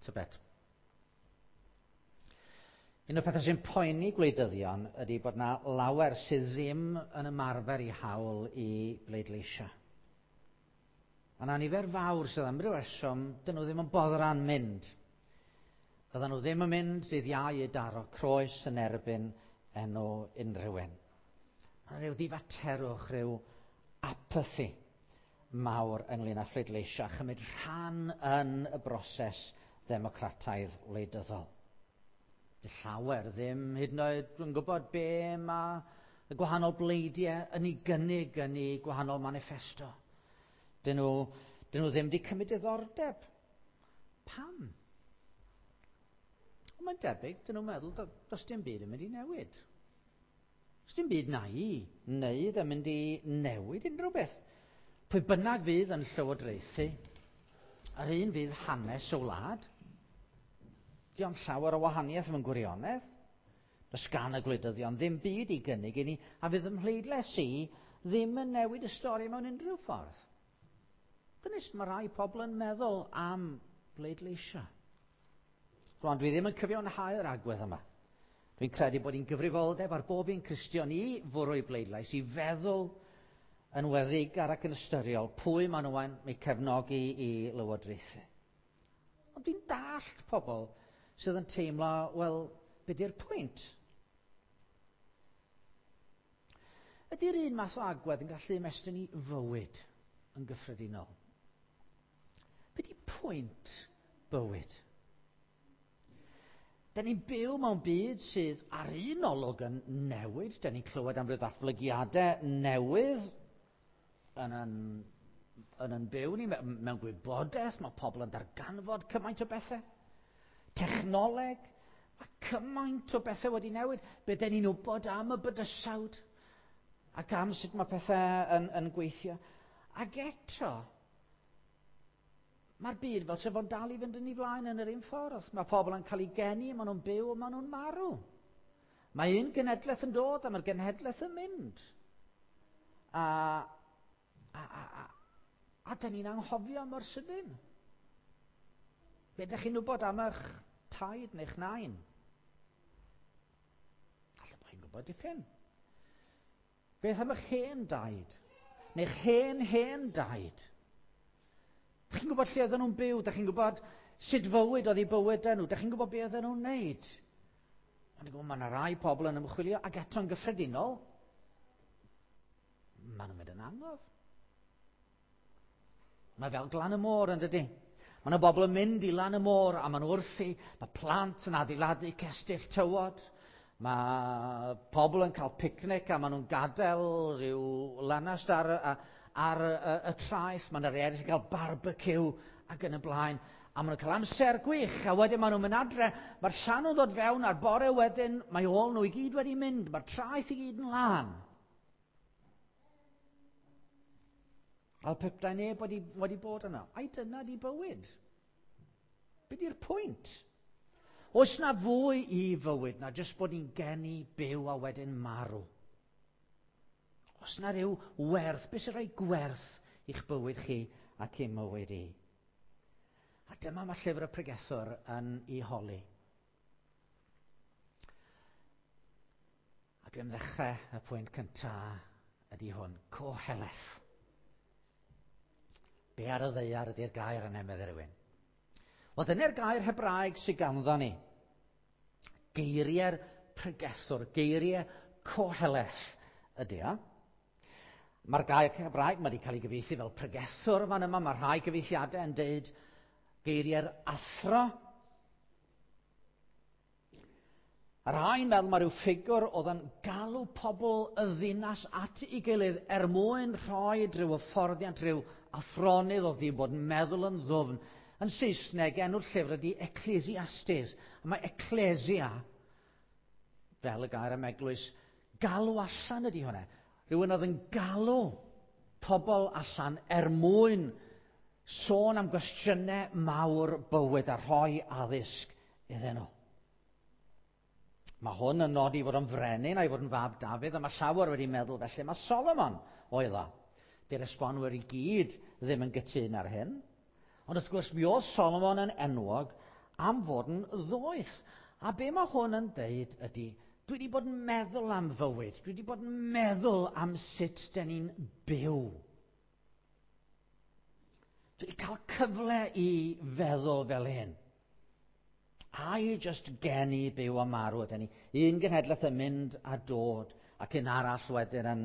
Tybed. Un o'r pethau sy'n poeni gwleidyddion ydy bod 'na lawer sydd ddim yn ymarfer eu hawl i bleidleisio. Mae 'na nifer fawr sydd am ryw reswm, dyn nhw ddim yn boddran mynd. Byddan nhw ddim yn mynd dydd Iau i daro croes yn erbyn enw unrhyw un. Mae 'na ryw ddifaterwch, rhyw apathy mawr ynglyn â phleidleisio a chymryd rhan yn y broses ddemocrataidd wleidyddol. Dy llawer ddim hyd yn oed yn gwybod be mae y gwahanol bleidiau yn ei gynnig yn ei gwahanol maniffesto. Dyn nhw, dyn nhw ddim wedi cymryd diddordeb. Pam? Ond mae'n debyg, dyn nhw'n meddwl, does dim byd yn mynd i newid. Does dim byd na i wneud yn mynd i newid unrhyw beth. Pwy bynnag fydd yn llywodraethu, yr un fydd hanes y wlad. Diolch llawer o wahaniaeth mewn gwirionedd. Does gan y gwleidyddion ddim byd i gynnig i ni, a fydd ym mhleidlais i ddim yn newid y stori mewn unrhyw ffordd. Dyna sut mae rhai pobl yn meddwl am bleidleisio. Rwan, dwi ddim yn cyfiawnhau'r agwedd yma. Dwi'n credu bod hi'n gyfrifoldeb ar bob un Cristion i fwrw ei bleidlais, i feddwl yn weddigar ac yn ystyriol pwy maen nhw'n eu cefnogi i lywodraethu. Ond dwi'n dallt pobl sydd yn teimlo, wel, be di'r pwynt? Ydy'r un math o agwedd yn gallu ymestyn i fywyd yn gyffredinol? Be di pwynt bywyd? Da ni'n byw mewn byd sydd ar un olwg yn newid. Da ni'n clywed am ryw ddatblygiadau newydd yn yn, yn, yn byw ni mewn gwybodaeth. Mae pobl yn darganfod cymaint o bethau. Technoleg, mae cymaint o bethau wedi newid. Be da ni'n wybod am y bydysawd ac am sut mae pethau yn, yn gweithio. Ac eto, Mae'r byd fel sef o'n dal i fynd yn ei flaen yn yr un ffordd. Mae pobl yn cael eu geni, maen nhw'n byw, maen nhw'n marw. Mae un genedlaeth yn dod a mae'r genhedlaeth yn mynd. A, a, a, a, a da ni'n anghofio mor sydyn. Be ydych chi'n wybod am eich taid neu'ch nain? Alla bod chi'n gwybod dipyn. Beth am eich hen daid? Neu'ch hen hen daid? Dych chi'n gwybod lle oedden nhw'n byw? Dych chi'n gwybod sut fywyd oedd eu bywydau nhw? Dych chi'n gwybod be oedden nhw'n wneud? Ond dwi'n gwybod mae yna rai pobl yn ymchwilio ac eto'n gyffredinol, maen nhw'n mynd yn angof. Mae fel glan y môr yn dydy. Mae yna bobl yn mynd i lan y môr a maen nhw wrthi. Mae plant yn adeiladu cestyll tywod. Mae pobl yn cael picnic a maen nhw'n gadael rhyw lanast ar, ar y, y, y traeth. Mae yna rhai eraill yn cael barbeciw ac yn y blaen. A maen nhw'n cael amser gwych, a wedyn maen nhw'n mynd adre. Mae'r llanw'n dod fewn a'r bore wedyn, mae ôl nhw i gyd wedi mynd. Mae'r traeth i gyd yn lân. Fel petai neb wedi, wedi bod yno. Ai dyna di bywyd? Be di'r pwynt? Oes na fwy i fywyd na jyst bod ni'n geni, byw a wedyn marw? Oes na ryw werth? Beth sy'n rhoi gwerth i'ch bywyd chi ac i'm mywyd i? A dyma mae llyfr y pregethwr yn ei holi. A dwi am ddechrau y pwynt cyntaf ydy hwn, Koheleth. Be ar y ddeiar ydy'r gair yna, meddai rhywun. Wel, dyna'r gair Hebraeg sydd ganddo ni. Geiriau'r pregethwr, geiriau Koheleth ydy o. Mae'r gair Hebraeg mae wedi cael ei gyfieithu fel pregethwr fan yma. Mae rhai gyfieithiadau yn deud geiriau'r athro. A rhai'n meddwl mae rhyw ffigwr oedd yn galw pobl y ddinas at ei gilydd er mwyn rhoi rhyw hyfforddiant, rhyw athronydd oedd wedi bod yn meddwl yn ddwfn. Yn Saesneg, enw'r llyfr ydy Ecclesiastes. A mae ecclesia, fel y gair am eglwys, galw allan ydy hwnna. Rhywun oedd yn galw pobl allan er mwyn sôn am gwestiynau mawr bywyd a rhoi addysg iddyn nhw. Mae hwn yn nodi fod yn frenin a'i fod yn fab Dafydd, a mae llawer wedi meddwl felly. Mae Solomon oedd o. Dy'r esbonwyr i gyd ddim yn gytun ar hyn. Ond wrth gwrs, mi oedd Solomon yn enwog am fod yn ddoeth. A be mae hwn yn deud ydy, dwi wedi bod yn meddwl am fywyd, dwi wedi bod yn meddwl am sut dyn ni'n byw. Dwi wedi cael cyfle i feddwl fel hyn. Ai jyst geni, byw a marw ydyn ni. Un genhedlaeth yn mynd a dod, ac un arall wedyn yn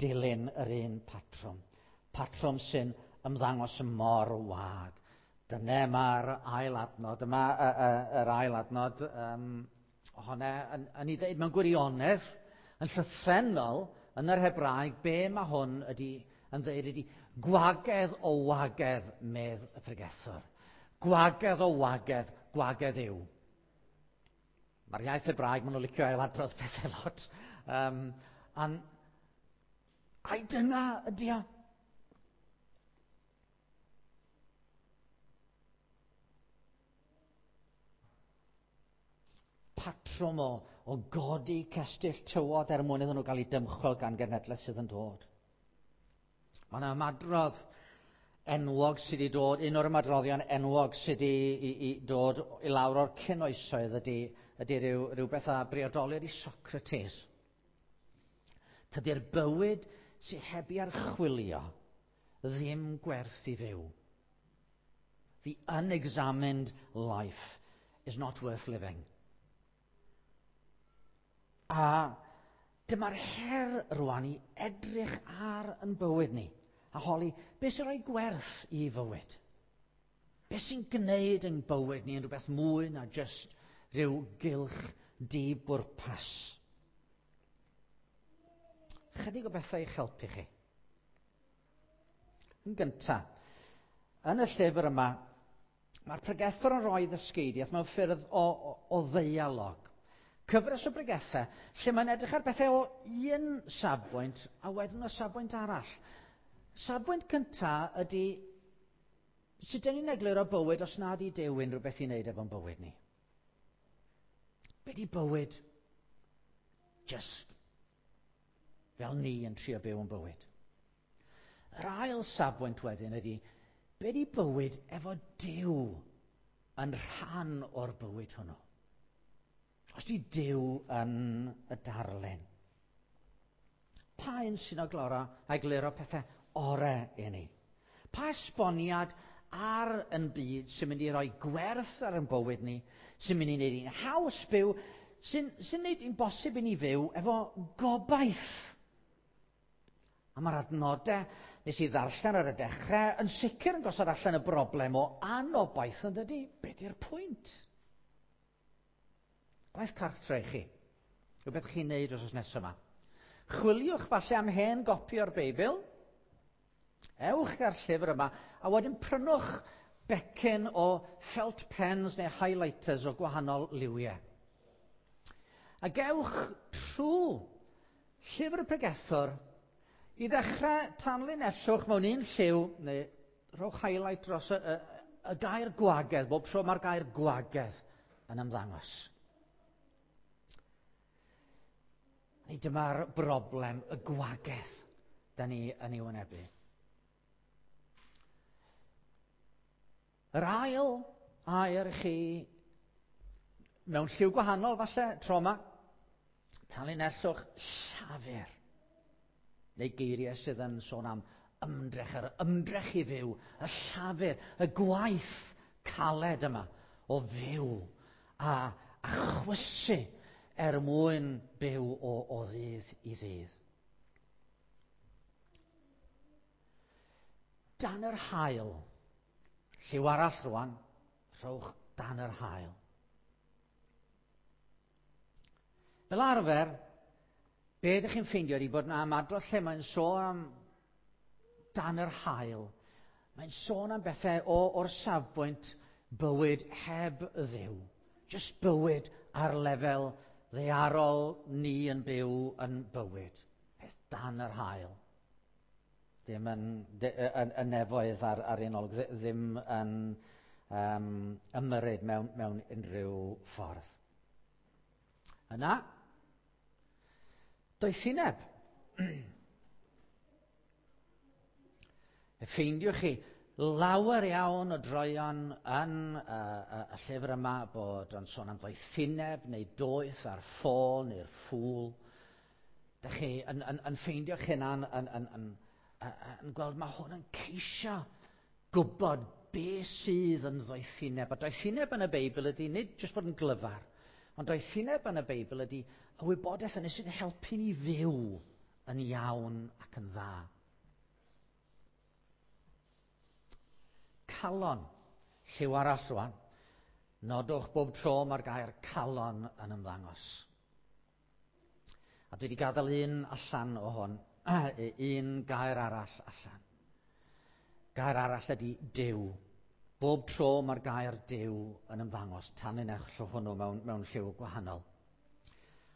dilyn yr un patrwm. Patrwm sy'n ymddangos mor wag. Dyna mae'r ail adnod, yma yr ail adnod ohona yn ei ddeud mewn gwirionedd, yn llythrennol, yn yr Hebraeg, be mae hwn ydy yn ddeud ydy gwagedd o wagedd, medd y pregethwr. Gwagedd o wagedd, gwagedd yw. Mae'r iaith Hebraeg, maen nhw'n licio ailadrodd pethau lot. Ai dyna ydy o? Patrwm o godi cestyll tywod er mwyn iddyn nhw gael eu dymchwel gan genhedlaeth sydd yn dod. Mae yna ymadrodd enwog sydd wedi dod, un o'r ymadroddion enwog sydd wedi dod i lawr o'r cynoesoedd ydy rhywbeth a briodolir i Socrates. Tydi'r bywyd sydd heb ei archwilio ddim gwerth i fyw. The unexamined life is not worth living. A dyma'r her rwan i edrych ar yn bywyd ni a holi, beth sy'n rhoi gwerth i fywyd? Beth sy'n gwneud yn bywyd ni yn rhywbeth mwy na jyst rhyw gylch di-bwrpas? Chydig o bethau i'ch helpu chi. Yn gyntaf, yn y llyfr yma, mae'r pregethwr yn rhoi ddysgeidiaeth mewn ffyrdd o ddeialog. Cyfres o bregethau lle mae'n edrych ar bethau o un safbwynt a wedyn o safbwynt arall. Safbwynt cyntaf ydy sut dyn ni'n egluro bywyd os nad i Duw unrhyw beth i wneud efo'n bywyd ni. Be di bywyd? Just fel ni yn trio byw yn bywyd. Yr ail safbwynt wedyn ydy, be di bywyd efo Duw yn rhan o'r bywyd hwnnw? Os di Duw yn y darlun, pa un sy'n egluro pethau orau i ni? Pa esboniad ar yn byd sy'n mynd i roi gwerth ar yn bywyd ni, sy'n mynd i wneud i'n haws byw, sy'n wneud i'n bosib i ni fyw efo gobaith? A mae'r adnodau nes i ddarllen ar y dechrau yn sicr yn gosod allan y broblem o anobaith, yn dydy? Be di'r pwynt? Gwaith cartre i chi. Rhywbeth chi'n neud wrth nesaf yma. Chwiliwch falle am hen gopi o'r Beibl. Ewch ar llyfr yma a wedyn prynwch becyn o felt pens neu highlighters o gwahanol liwiau. A gewch trwy llyfr y pregethwr i ddechrau tanlinellwch mewn un lliw, neu rhowch highlight dros y gair gwagedd, bob tro mae'r gair gwagedd yn ymddangos. Neu dyma'r broblem, y gwagedd, da ni yn ei wynebu. Yr ail air i chi, mewn lliw gwahanol falle, tro yma, tanlinellwch llafur. Neu geiriau sydd yn sôn am ymdrech, yr ymdrech i fyw, y llafur, y gwaith caled yma o fyw a chwysu er mwyn byw o ddydd i ddydd. Dan yr haul, lliw arall rwan, rhowch dan yr haul. Fel arfer, be ydych chi'n ffeindio ydy bod yna ymadrodd lle mae'n sôn am dan yr haul. Mae'n sôn am bethau o'r safbwynt bywyd heb Dduw. Just bywyd ar lefel ddaearol ni yn byw yn bywyd. Peth dan yr haul. Ddim yn nefoedd ar un olwg, ddim yn ymyrryd mewn unrhyw ffordd. Yna, doethineb. Ffeindiwch chi Lawer iawn o droion yn y llyfr yma bod o'n sôn am ddoethineb neu doeth a'r ffôl neu'r ffŵl. Dych chi yn ffeindio'ch hunan yn gweld mae hwn yn ceisio gwybod be sydd yn ddoethineb. A doethineb yn y Beibl ydy nid jyst bod yn glyfar, ond doethineb yn y Beibl ydy y wybodaeth yna sy'n helpu ni fyw yn iawn ac yn dda. Calon, lliw arall rwan. Nodwch bob tro mae'r gair calon yn ymddangos. A dwi wedi gadael un allan o hwn, un gair arall allan. Gair arall ydy Duw. Bob tro mae'r gair Duw yn ymddangos, tanlinell hwnnw mewn lliw gwahanol.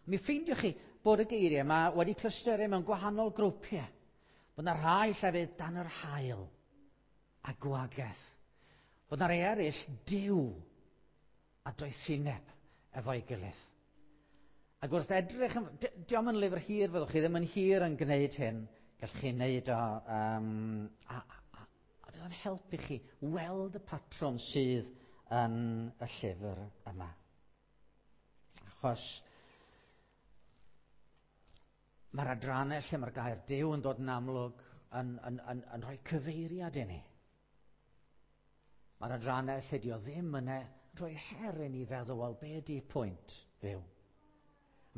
Mi ffeindiwch chi bod y geiriau yma wedi clystyru mewn gwahanol grwpiau. Bod yna rhai llefydd dan yr haul a gwagaeth. Bod yna rhai eraill Duw a doethineb efo'i gilydd. Ac wrth edrych, dio'm yn lyfr hir, fyddwch chi ddim yn hir yn gwneud hyn, gallwch chi wneud o, a fydd o'n helpu chi weld y patrwm sydd yn y llyfr yma. Achos mae'r adrannau lle mae'r gair Duw yn dod yn amlwg yn rhoi cyfeiriad i ni. Mae'r adrannau lle dio ddim yna yn rhoi her i ni feddwl, wel, be ydy pwynt fyw?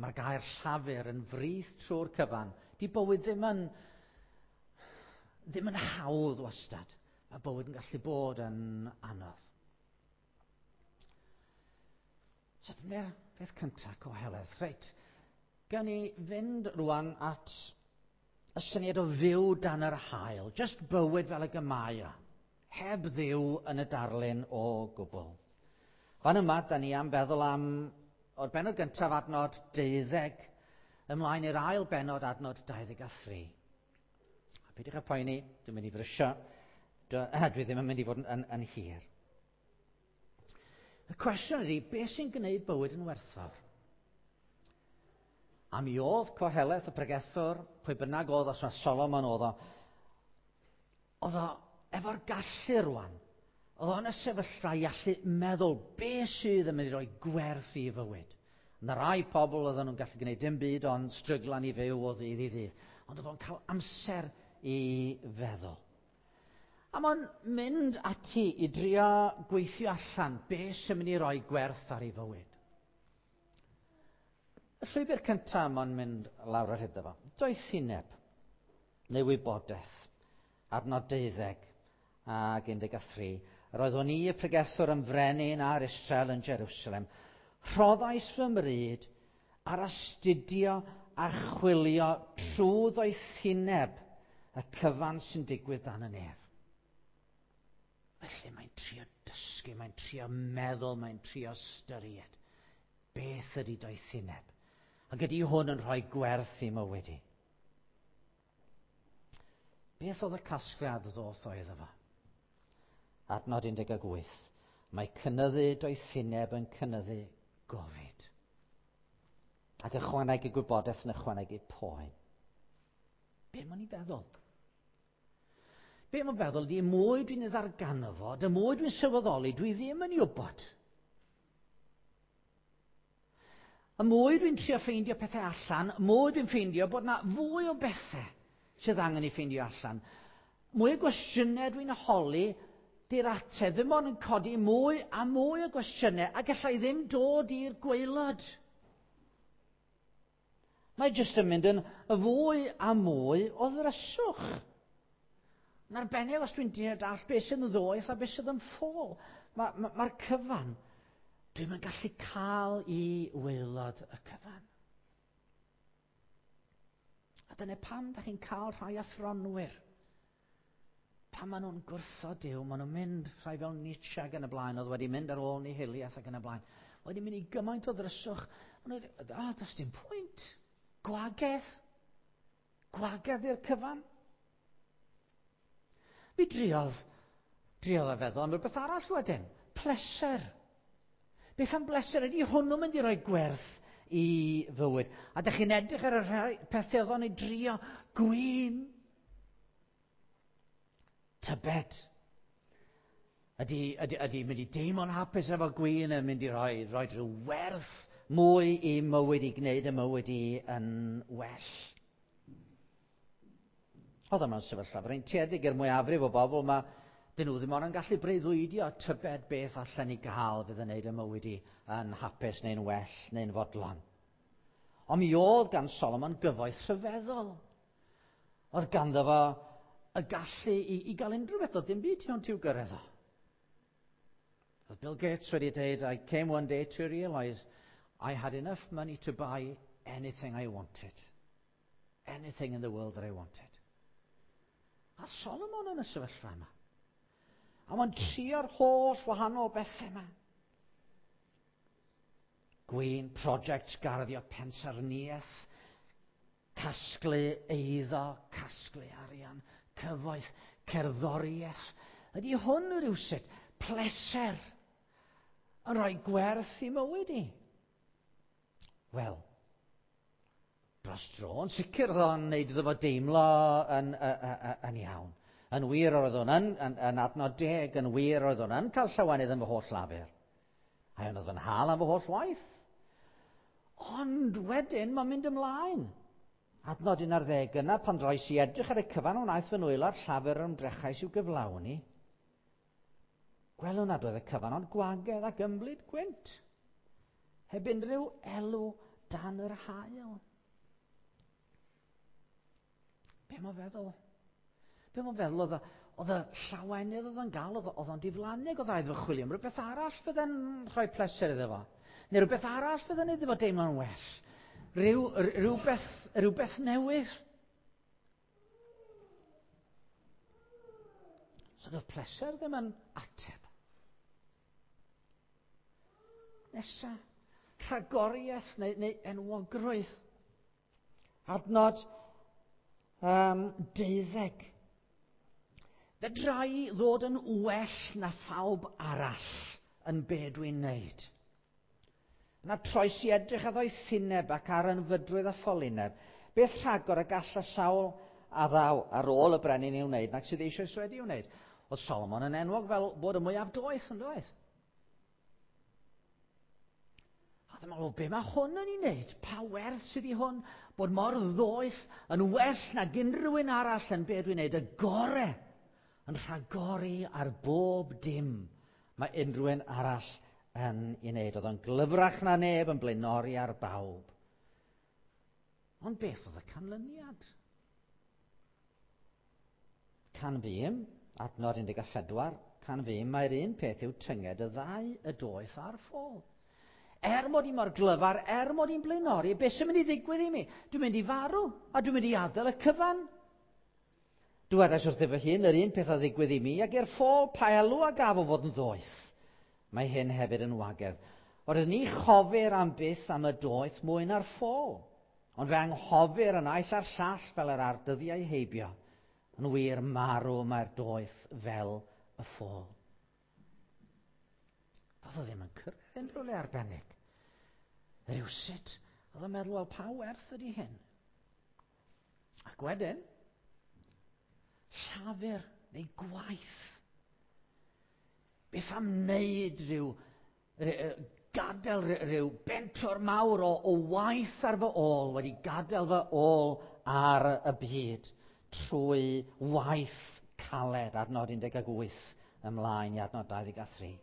Mae'r gair llafur yn frith trwy'r cyfan. Di bywyd ddim yn hawdd wastad. Mae bywyd yn gallu bod yn anodd. So dyna'r peth cyntaf, Coheleth. Reit, gawn ni fynd rwan at y syniad o fyw dan yr haul. Just bywyd fel y mae o. Heb Dduw yn y darlun o gwbl. Fan yma, da ni am feddwl am o'r bennod gyntaf adnod 12 ymlaen i'r ail bennod adnod 23. A peidiwch â poeni, dwi'n mynd i frysio, dwi ddim yn mynd i fod yn hir. Y cwestiwn ydy, beth sy'n gwneud bywyd yn werthfawr? A mi oedd Coheleth y pregethwr, pwy bynnag oedd, os mae Solomon oedd o, oedd o efo'r gallu rwan, oedd o'n y sefyllfa i allu meddwl beth sydd yn mynd i roi gwerth i fywyd. Yna rai pobl oedden nhw'n gallu gwneud dim byd ond stryglan i fyw o ddydd i ddydd. Ond oedd o'n cael amser i feddwl. A mae'n mynd ati i drio gweithio allan beth sy'n mynd i roi gwerth ar ei fywyd. Y llwybr cyntaf mae'n mynd lawr ar hyd efo. Doethineb neu wybodaeth. Adnod 12 ac 13. Yr oeddwn i y pregethwr yn frenin ar Israel yn Jerusalem. Rhoddais fy mryd ar astudio a chwilio trwy ddoethineb y cyfan sy'n digwydd dan y nef. Felly mae'n trio dysgu, mae'n trio meddwl, mae'n trio ystyried. Beth ydy doethineb? Ac ydy hwn yn rhoi gwerth i mywyd i? Beth oedd y casgliad ddoth oedd efo? Adnod 18. Mae cynyddu doethineb yn cynyddu gofid. Ac ychwanegu gwybodaeth yn ychwanegu poen. Be mae'n ei feddwl? Be mae'n feddwl ydy, mwy dwi'n ei ddarganfod, y mwy dwi'n sylweddoli, dwi ddim yn ei wybod. Y mwy dwi'n trio ffeindio pethau allan, y mwy dwi'n ffeindio bod yna fwy o bethau sydd angen ei ffeindio allan. Mwy o gwestiynau dwi'n holi, di'r ateb ddim ond yn codi mwy a mwy o gwestiynau a gallai ddim dod i'r gwaelod. Mae jyst yn mynd yn fwy a mwy o ddryswch. Yn arbennig os dwi'n deall beth sydd yn ddoeth a beth sydd yn ffôl. Mae'r cyfan, dwi'n yn gallu cael i waelod y cyfan. A dyna pam da chi'n cael rhai athronwyr. Pan maen nhw'n gwrthod Duw, maen nhw'n mynd rhai fel Nietzsche ac yn y blaen, oedd wedi mynd ar ôl nihiliaeth ac yn y blaen. Wedi mynd i gymaint o ddryswch. Maen nhw wedi, does dim pwynt. Gwagedd. Gwagedd i'r cyfan. Mi driodd a feddwl am rhywbeth arall wedyn. Pleser. Beth am bleser? Ydy hwnnw'n mynd i roi gwerth i fywyd? A dych chi'n edrych ar y rhai pethau oedd o'n ei drio. Gwin. Tybed. Ydy mynd i deimlo'n hapus efo gwin yn mynd i roi rhyw werth mwy i mywyd, i gwneud y mywyd i yn well? Oedd yma'n sefyllfa freintiedig i'r mwyafrif o bobl yma. Dyn nhw ddim ond yn gallu breuddwydio tybed beth allan ni gael fydd yn gwneud y mywyd i yn hapus neu'n well neu'n fodlon. Ond mi oedd gan Solomon gyfoeth rhyfeddol. Oedd ganddo fo y gallu i gael unrhyw beth, oedd dim byd tu hwnt i'w gyrraedd o. Oedd Bill Gates wedi dweud, "I came one day to realise I had enough money to buy anything I wanted. Anything in the world that I wanted." A Solomon yn y sefyllfa yma. A mae'n trio'r holl wahanol bethau yma. Gwin, projects garddio, pensaerniaeth, casglu eiddo, casglu arian, cyfoeth, cerddoriaeth. Ydy hwn rhywsut pleser yn rhoi gwerth i mywyd i? Wel, dros dro, yn sicr oedd o'n neud iddo fo deimlo yn iawn. Yn wir oedd o'n yn adnod 10, yn wir oedd o'n yn cael llawenydd yn fy holl lafur. A oedd yn hal am fy holl waith. Ond wedyn mae'n mynd ymlaen. Adnod 11 yna, pan droes i edrych ar y cyfan wnaeth fy nwylo a'r llafur yr ymdrechais i'w gyflawni, gwelwn nad oedd y cyfan ond gwagedd ac ymlid gwynt, heb unrhyw elw dan yr haul. Be mae'n feddwl? Be mae'n feddwl oedd y llawenydd oedd o'n gael, oedd o'n diflannu, oedd rhaid fo chwilio am rhywbeth arall fydde'n rhoi pleser iddo fo. Neu rhywbeth arall fydde'n iddo fo deimlo'n well. Rhywbeth newydd. So doedd pleser ddim yn ateb. Nesa, rhagoriaeth neu enwogrwydd. Adnod 12. Fedra i ddod yn well na phawb arall yn be dwi'n neud. Yna troes i edrych ar ddoethineb ac ar ynfydrwydd a ffolineb. Beth rhagor y gall y sawl a ddaw ar ôl y brenin i'w wneud nac sydd eisoes wedi i'w wneud? Oedd Solomon yn enwog fel bod y mwyaf doeth yn doedd? A dyma, wel, be mae hwn yn ei wneud? Pa werth sydd i hwn? Bod mor ddoeth yn well nag unrhyw un arall yn be dwi'n wneud, y gore, yn rhagori ar bob dim mae unrhyw un arall yn ei wneud. Oedd o'n glyfrach na neb, yn blaenori ar bawb. Ond beth oedd y canlyniad? Canfûm, adnod 14, canfûm mae'r un peth yw tynged y ddau, y doeth a'r ffôl. Er mod i mor glyfar, er mod i'n blaenori, beth sy'n mynd i ddigwydd i mi? Dwi'n mynd i farw, a dwi'n mynd i adael y cyfan. Dywedais wrth fy hun, yr un peth a ddigwydd i mi, ac i'r ffôl pa elw a gaf o fod yn ddoeth. Mae hyn hefyd yn wagedd. Oherwydd ni chofir am byth am y doeth mwy na'r ffôl, ond fe anghofir y naill a'r llall fel yr ardyddiau heibio. Yn wir marw mae'r doeth fel y ffôl. Doedd o ddim yn cyrraedd unrhyw le arbennig. Rywsut, oedd o'n meddwl, wel, pa werth ydy hyn? Ac wedyn, llafur neu gwaith. Beth am wneud rhyw, gadael rhyw bentwr mawr o waith ar fy ôl, wedi gadael fy ôl ar y byd trwy waith caled, adnod 18 ymlaen i adnod 23.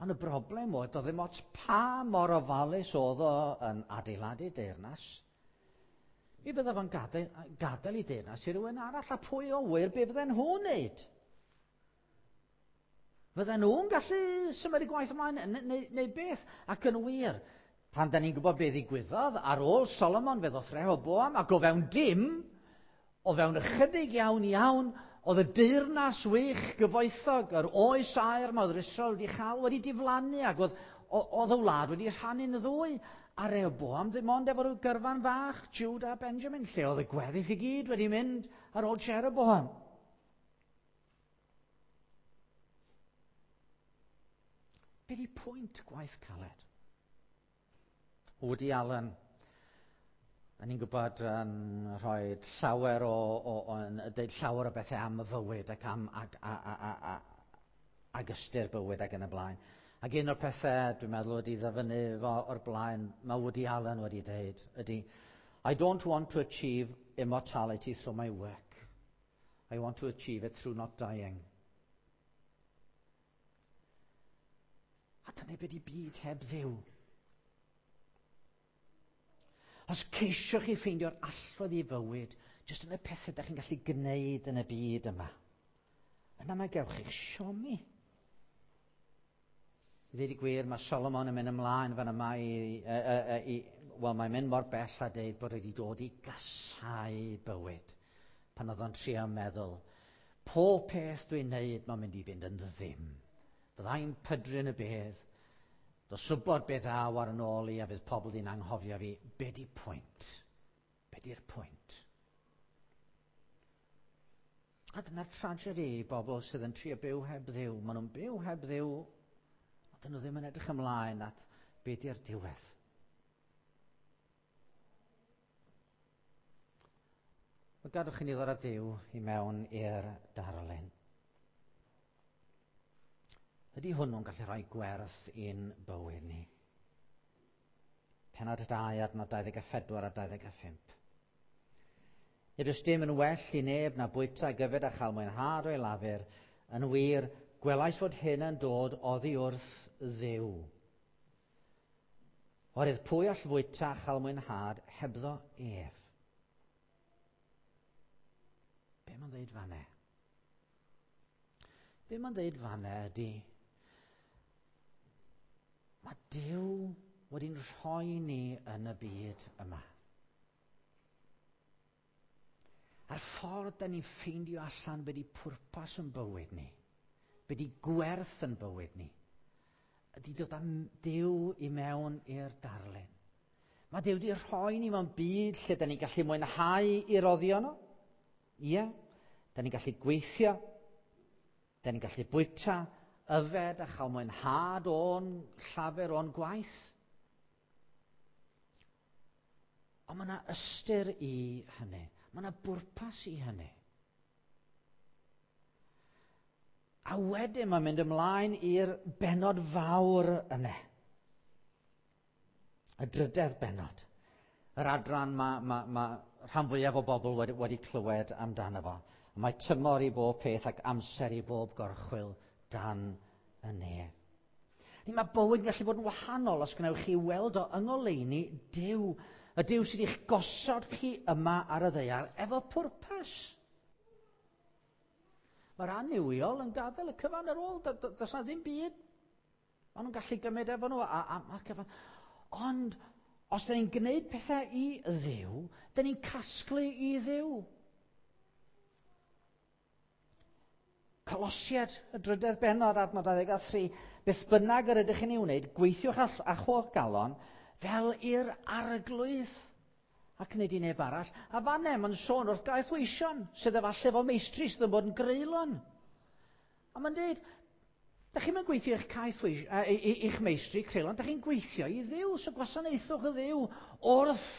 Ond y broblem oedd, doedd ddim ots pa mor ofalus oedd o yn adeiladu deyrnas. Mi fydda fo'n gadael i deyrnas i rywun arall, a pwy o wir be fydden nhw'n wneud? Fydden nhw'n gallu symud y gwaith ymlaen neu beth? Ac yn wir, pan da ni'n gwybod beth ddigwyddodd, ar ôl Solomon fe ddoth Rehoboam, ac o fewn dim, o fewn ychydig iawn iawn, oedd y deyrnas wych gyfoethog, yr oes aur ma oedd yr Israel wedi chael, wedi diflannu, ac oedd y wlad wedi rhannu'n ddwy. A Rehoboam ddim ond efo rhyw gyrfan fach, Judah a Benjamin, lle oedd y gweddill i gyd wedi mynd ar ôl Jeroboam. Be di pwynt gwaith caled? Woody Allen Da ni'n gwybod yn rhoi llawer o, o, o yn deud llawer o bethau am y fywyd ac am ag, a, a, a, a, ag ystyr bywyd ac yn y blaen. Ac un o'r pethau dwi'n meddwl wedi ddyfynnu fo o'r blaen, mae Woody Allen wedi dweud, ydy, I don't want to achieve immortality through my work. I want to achieve it through not dying. A dyna beth i byd heb ddiw. Os ceisiwch chi ffeindio'r allwedd i fywyd, jyst yn y pethau da chi'n gallu gwneud yn y byd yma, yna mae gewch chi'ch siomi. I ddweud y gwir, mae Solomon yn mynd ymlaen fan yma i, i, i, i wel, mae'n mynd mor bell a deud bod wedi dod i gasau bywyd pan oedd o'n trio meddwl, pob peth dwi'n neud mae'n mynd i fynd yn ddim. Fyddai'n pydru yn y bedd, Dos wybod beth ddaw ar yn ôl i a fydd pobl di'n anghofio fi. Be di pwynt? Be di'r pwynt? A dyna'r tragedy i bobl sydd yn trio byw heb ddiw. Maen nhw'n byw heb ddiw, ond dyn nhw ddim yn edrych ymlaen at be di'r diwedd. Wel, gadwch i ni ddod â Duw i mewn i'r darlun. Ydy hwnnw'n gallu rhoi gwerth i'n bywyd ni? Penod 2, adnod 24 a 25. Nid oes dim yn well i neb na bwyta gyfed a chael mwynhad o'i lafur. Yn wir, gwelais fod hyn yn dod oddi wrth Dduw. Oherwydd pwy all fwyta a chael mwynhad hebddo ef? Be mae'n dweud fanne? Be mae'n dweud fanna ydy, mae Duw wedi'n rhoi ni yn y byd yma. A'r ffordd da ni'n ffeindio allan be di pwrpas yn bywyd ni, be di gwerth yn bywyd ni, ydy dod â Duw i mewn i'r darlun. Mae Duw wedi rhoi ni mewn byd lle da ni'n gallu mwynhau i roddio nhw. Ie, da ni'n gallu gweithio, Da ni'n gallu bwyta, yfed a chael mwynhad o'n llafur o'n gwaith. Ond mae yna ystyr i hynny. Mae yna bwrpas i hynny. A wedyn mae'n mynd ymlaen i'r benod fawr yna. Y drydedd benod. Yr adran mae, mae, mae rhan fwyaf o bobl wedi, wedi clywed amdano fo. Mae tymor i bob peth ac amser i bob gorchwyl dan y nef. Ni mae bywyd yn gallu bod yn wahanol os gwnewch chi weld o yng ngoleuni Duw, y Duw sydd eich gosod chi yma ar y ddaear efo pwrpas. Mae'r annuwiol yn gadael y cyfan ar ôl, does na ddim byd. Maen nhw'n gallu gymryd efo nhw a, a, a cyfan. Ond os da ni'n gwneud pethau i Dduw, da ni'n casglu i Dduw. Colosiad, y drydedd bennod, adnod 23. Beth bynnag yr ydych chi'n ei wneud, gweithiwch â holl galon fel i'r arglwydd ac nid i neb arall. A fanne, mae'n sôn wrth gaeth weision, sydd efallai efo meistri sydd yn bod yn greulon. A mae'n dweud, da chi'n mynd gweithio i'ch caeth i'ch meistri creulon, da chi'n gweithio i Dduw, so gwasanaethwch y Dduw wrth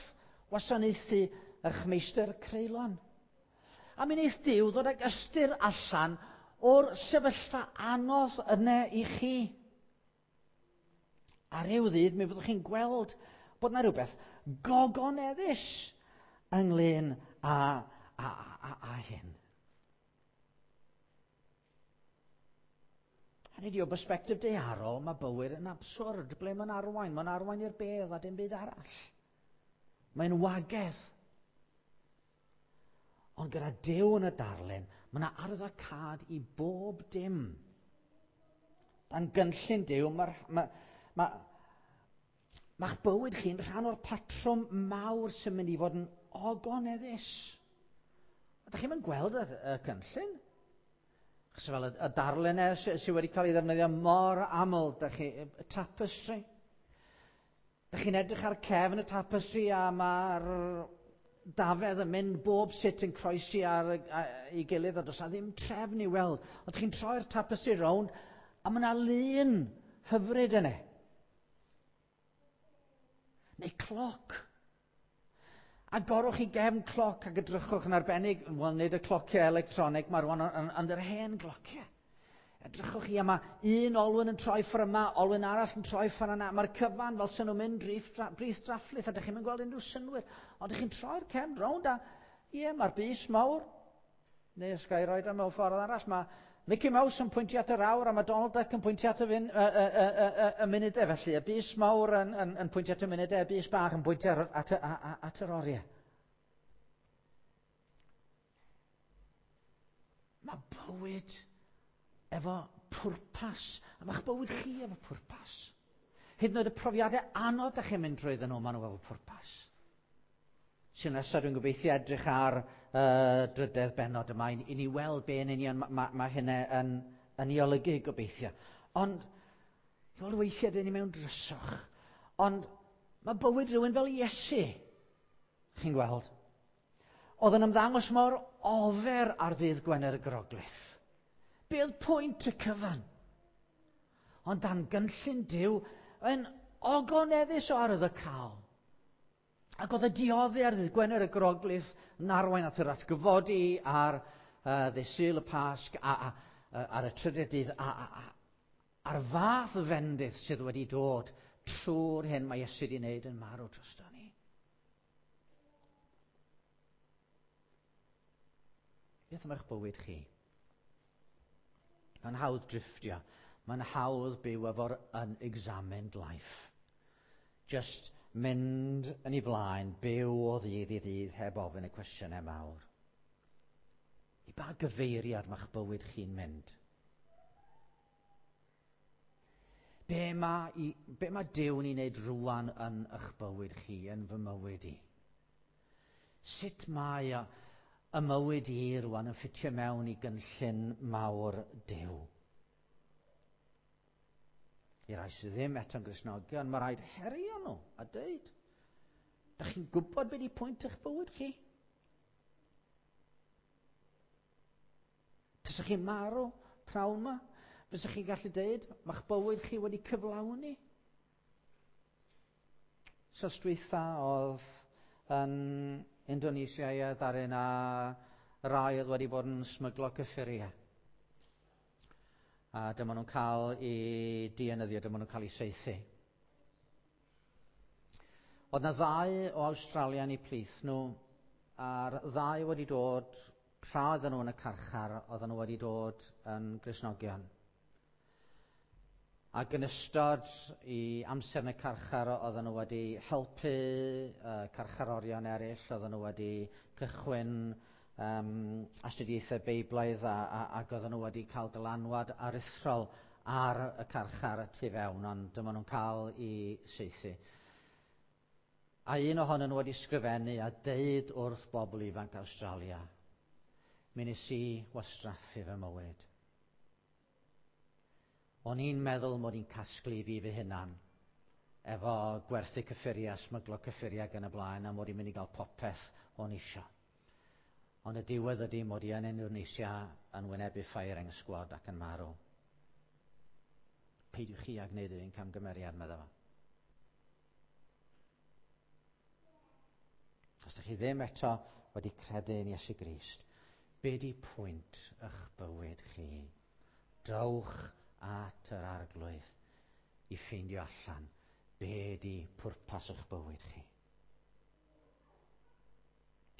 wasanaethu eich meistr creulon. A mi wneith Duw ddod ag ystyr allan o'r sefyllfa anodd yna i chi. A rhyw ddydd mi fyddwch chi'n gweld bod yna rhywbeth gogoneddus ynglyn â, â, â, â hyn. Hynny ydi, o bersbectif daearol, mae bywyd yn absurd. Ble mae'n arwain? Mae'n arwain i'r bedd a dim byd arall. Mae'n wagedd. Ond gyda Duw yn y darlun, mae yna arwyddocâd i bob dim. Dan gynllun Duw, mae'r ma, ma, ma'ch bywyd chi'n rhan o'r patrwm mawr sy'n mynd i fod yn ogoneddus. Ydych chi'n gweld y, y cynllun? Achos fel y, y darlun e sydd sy wedi cael ei ddefnyddio mor aml, da chi, y tapestry. Da chi'n edrych ar cefn y tapestry a mae'r dafedd yn mynd bob sut yn croesi ar ei gilydd a does na ddim trefn i weld. Ond chi'n troi'r tapestry rownd a mae yna lun hyfryd yna. Neu cloc. Agorwch chi gefn cloc ac edrychwch yn arbennig, wel nid y clociau electronig, mae rwan ond yr hen glociau. Edrychwch chi, a mae un olwyn yn troi ffordd yma, olwyn arall yn troi ffordd yna. Mae'r cyfan fel sy'n nhw'n mynd brith drafflith, a dych chi'n gweld unrhyw synnwyr. Ond dych chi'n troi'r cefn rownd a, ie, mae'r bys mawr, neu os ga i roed o mewn ffordd arall, mae Mickey Mouse yn pwyntio at yr awr a mae Donald Duck yn pwyntio at y munudau felly. Y bys mawr yn pwyntio at y munudau, y bys bach yn pwyntio at yr oriau. Mae bywyd efo pwrpas, a mae'ch bywyd chi efo pwrpas. Hyd yn oed y profiadau anodd ydych chi'n mynd drwyddyn nhw, maen nhw efo pwrpas. Sy'n nesaf dwi'n gobeithio edrych ar drydedd bennod yma i ni weld be yn union mae hynna yn ei olygu gobeithio. Ond, fel weithiau dyn ni mewn dryswch, ond mae bywyd rhywun fel Iesu, chi'n gweld, oedd yn ymddangos mor ofer ar ddydd Gwener y Groglith. Be oedd pwynt y cyfan? Ond dan gynllun Duw yn ogoneddus o arwyddocaol. Ac oedd y dioddi ar ddydd Gwener y Groglith yn arwain at yr atgyfodi ar ddydd Sul y Pasg a ar y trydydd dydd a'r fath fendith sydd wedi dod trwy'r hyn mae Iesu wedi wneud yn marw drosto ni. Beth am eich bywyd chi? Mae'n hawdd drifftio. Mae'n hawdd byw efo'r unexamined life. Just mynd yn ei flaen, byw o ddydd i ddydd heb ofyn y cwestiynau mawr. I ba gyfeiriad mae'ch bywyd chi'n mynd? Be mae Duw yn ei wneud rŵan yn eich bywyd chi, yn fy mywyd i? Sut mae y mywyd i rŵan yn ffitio mewn i gynllun mawr Duw? I rai sydd ddim eto'n Gristnogion, mae rhaid herio nhw a dweud, dach chi'n gwybod beth ydi pwynt eich bywyd chi? Tasach chi'n marw prawn yma, fysach chi'n gallu dweud, mae'ch bywyd chi wedi cyflawni. Sos dwytha oedd yn Indonesia i ddaru na rai oedd wedi bod yn smyglo cyffuriau. A dyma nhw'n cael eu dienyddio, dyma nhw'n cael eu saethu. Oedd na ddau o Awstralia yn eu plith nhw, a'r ddau wedi dod, tra oedden nhw yn y carchar, oedden nhw wedi dod yn Gristnogion. Ac yn ystod i amser yn y carchar, oedden nhw wedi helpu carcharorion eraill, oedden nhw wedi cychwyn astudiaethau Beiblaidd ac oedden nhw wedi cael dylanwad aruthrol ar y carchar y tu fewn, ond dyma nhw'n cael eu saethu. A un ohonyn nhw wedi sgrifennu a deud wrth bobl ifanc Awstralia, mi nes i wastraffu fy mywyd. O'n i'n meddwl mod i'n casglu fi fy hunan efo gwerthu cyffuriau, smyglo cyffuriau ac yn y blaen, a mod i'n mynd i gael popeth o'n isio. Ond y diwedd ydy mod i yn Indonesia yn wynebu firing squad ac yn marw. Peidiwch chi â gwneud yr un camgymeriad, meddai fo. Os ydych chi ddim eto wedi credu yn Iesu Grist, be di pwynt eich bywyd chi? Dowch at yr Arglwydd i ffeindio allan be di pwrpas eich bywyd chi.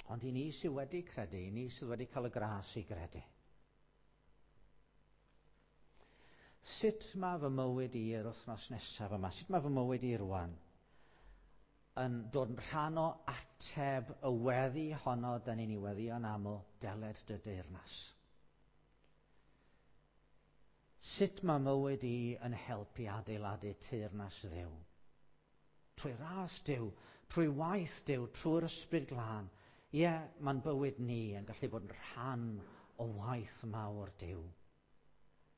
Ond i ni sydd wedi credu, i ni sydd wedi cael y gras i gredu. Sut mae fy mywyd i yr wythnos nesaf yma? Sut mae fy mywyd i rwan yn dod yn rhan o ateb y weddi honno dan ni'n ei weddïo'n aml, deled dy deyrnas? Sut mae mywyd i yn helpu adeiladu teyrnas Dduw? Trwy ras Duw, trwy waith Duw, trwy'r Ysbryd Glân. Ie, mae'n bywyd ni yn gallu bod yn rhan o waith mawr Duw.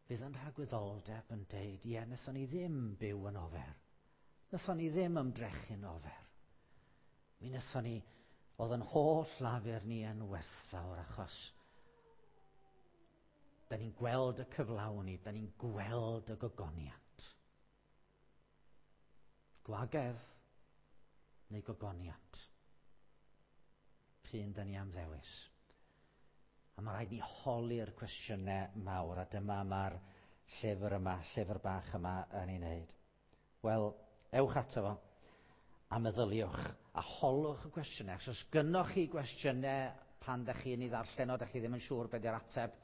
Fydd yn rhagwyddoldeb yn deud, ie, wnaethon ni ddim byw yn ofer. Wnaethon ni ddim ymdrechu'n ofer. Mi wnaethon ni, oedd yn holl lafur ni yn werthfawr achos da ni'n gweld y cyflawni, da ni'n gweld y gogoniant. Gwagedd neu gogoniant. Pryn da ni am ddewis. A mae rhaid ni holi'r cwestiynau mawr, a dyma mae'r llyfr yma, llyfr bach yma yn ei wneud. Wel, ewch ato fo a meddyliwch a holwch y cwestiynau. Os oes gynnoch chi gwestiynau pan da chi'n ei ddarllen o, da chi ddim yn siŵr beth yw'r ateb,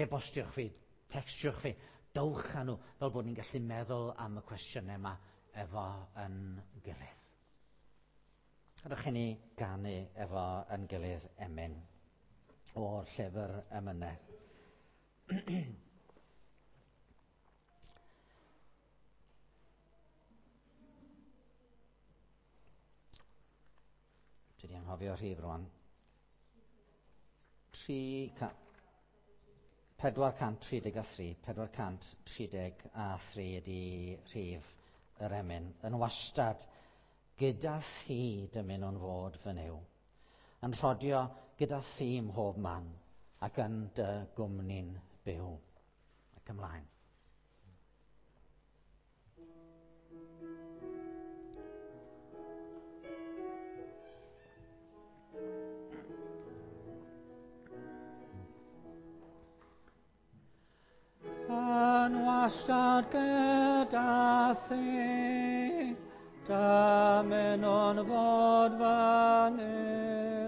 e-bostiwch fi, textiwch fi, dowch â nhw fel bod ni'n gallu meddwl am y cwestiynau yma efo yn gilydd. Gadewch i ni ganu efo yn gilydd emyn o'r llyfr emynau. Dwi wedi anghofio rhif rwan. 433, 433 ydy rhif yr emyn. Yn wastad, gyda thi dymunwn fod fy Nuw. Yn rhodio gyda thi mhob man ac yn dy gwmni'n byw. Ac ymlaen. Yn wastad gyda thi, dymunwn fod fy Nuw.